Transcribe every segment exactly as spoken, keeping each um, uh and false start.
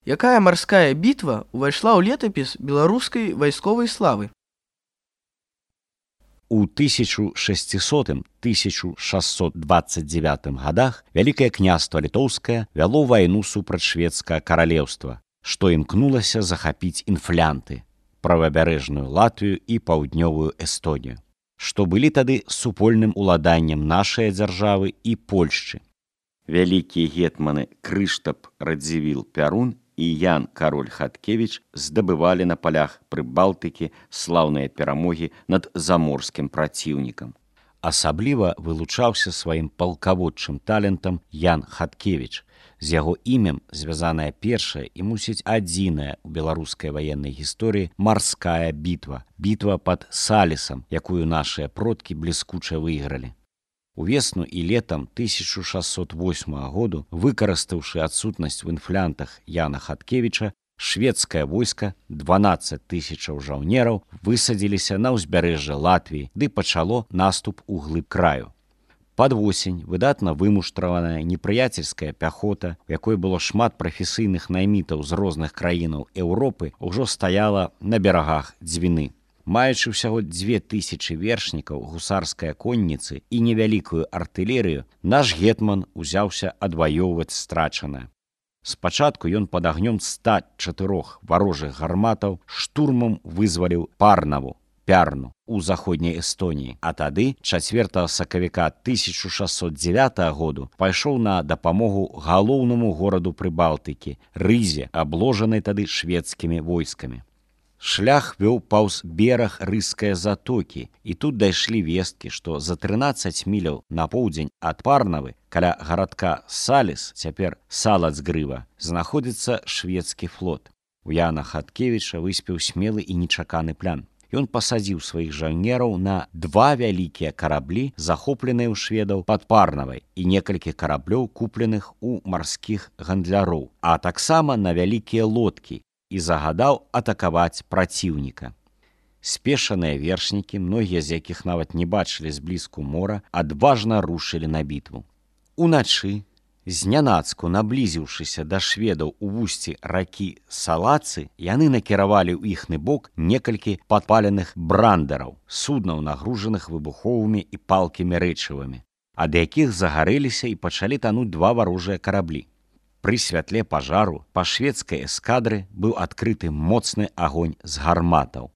Якая марская бітва ўвайшла ў летапіс беларускай вайсковай славы? У тысяча шестисотым — тысяча шестьсот двадцать девятым годах Вялікае княства Літоўскае вяло вайну супраць шведскага каралеўства, што імкнулася захапіць інфлянты, правабярэжную Латвію і паўднёвую Эстонію, што былі тады супольным уладаннем нашай дзяржавы і Польшчы. Вялікія гетманы Крыштап Радзівіл Пярун і Ян Кароль Хаткевіч здабывалі на палях Прыбалтыкі слаўныя перамогі над заморскім праціўнікам. Асабліва вылучаўся сваім палкаводчым талентам Ян Хаткевіч. З яго імем звязаная першая і, мусіць, адзіная ў беларускай ваеннай гісторыі марская бітва, бітва пад Салісам, якую нашыя продкі бліскуча выйгралі. Увесну і летам тысяча шестьсот восьмага году, выкарыстаўшы адсутнасць у інфлянтах Яна Хаткевіча, шведскае войска, дванаццаць тысячаў жаўнераў, высадзіліся на ўзбярэжжа Латвіі, ды пачало наступ у глыб краю. Пад восень выдатна вымуштраваная непрыяцельская пяхота, у якой было шмат прафесійных наймітаў з розных краінаў Еўропы, ужо стаяла на берагах Дзвіны. Маючы ўсяго дзве тысячы вершнікаў гусарскай конніцы і невялікую артылерыю, наш гетман узяўся адваёўваць страчанае. Спачатку ён пад агнём ста чатырох варожых гарматаў штурмам вызваліў Парнаву, Пярну, у заходняй Эстоніі, а тады, чацвёртага сакавіка тысяча шестьсот дзевятага году, пайшоў на дапамогу галоўнаму гораду Прыбалтыкі, Рызе, абложанай тады шведскімі войскамі. Шлях вёў паўз бераг Рызскае затокі, і тут дайшлі весткі, што за трынаццаць міляў на поўдзень ад Парнавы, каля гарадка Саліс, цяпер Салацгрыва, знаходзіцца шведскі флот. У Яна Хаткевіча выспеў смелы і нечаканы план. Ён пасадзіў сваіх жаўнераў на два вялікія караблі, захопленыя ў шведаў пад Парнавай, і некалькі караблёў, купленых у марскіх гандляроў, а таксама на вялікія лодкі, і загадаў атакаваць праціўніка. Спешаныя вершнікі, многія з якіх нават не бачылі зблізку мора, адважна рушылі на бітву. Уначы, знянацку наблізіўшыся да шведаў у вусці ракі Салацы, яны накіравалі ў іхны бок некалькі падпаленых брандераў, суднаў, нагружаных выбуховымі і палкімі рэчывамі, ад якіх загарэліся і пачалі тануць два варожыя караблі. Пры святле пажару па шведскай эскадры быў адкрыты моцны агонь з гарматаў.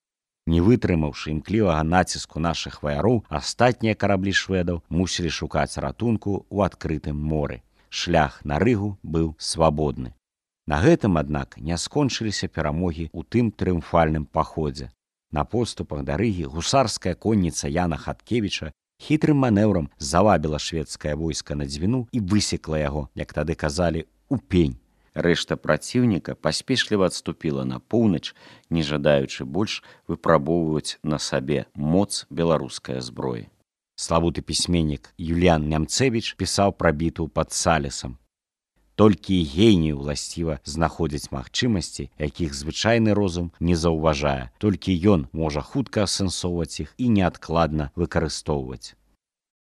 Не вытрымаўшы імклівага націску нашых ваяроў, астатнія караблі шведаў мусілі шукаць ратунку ў адкрытым моры. Шлях на Рыгу быў свабодны. На гэтым, аднак, не скончыліся перамогі ў тым трыумфальным паходзе. На подступах да Рыгі гусарская конніца Яна Хаткевіча хітрым манеўрам завабіла шведскае войска на Дзвіну і высекла яго, як тады казалі, у пень. Рэшта праціўніка паспешліва адступіла на поўнач, не жадаючы больш выпрабоўваць на сабе моц беларускай зброі. Славуты пісьменнік Юліян Нямцевіч пісаў пра бітву пад Салісам. Толькі генію ўласціва знаходзіць магчымасці, якіх звычайны розум не заўважае. Толькі ён можа хутка асэнсоўваць іх і неадкладна выкарыстоўваць.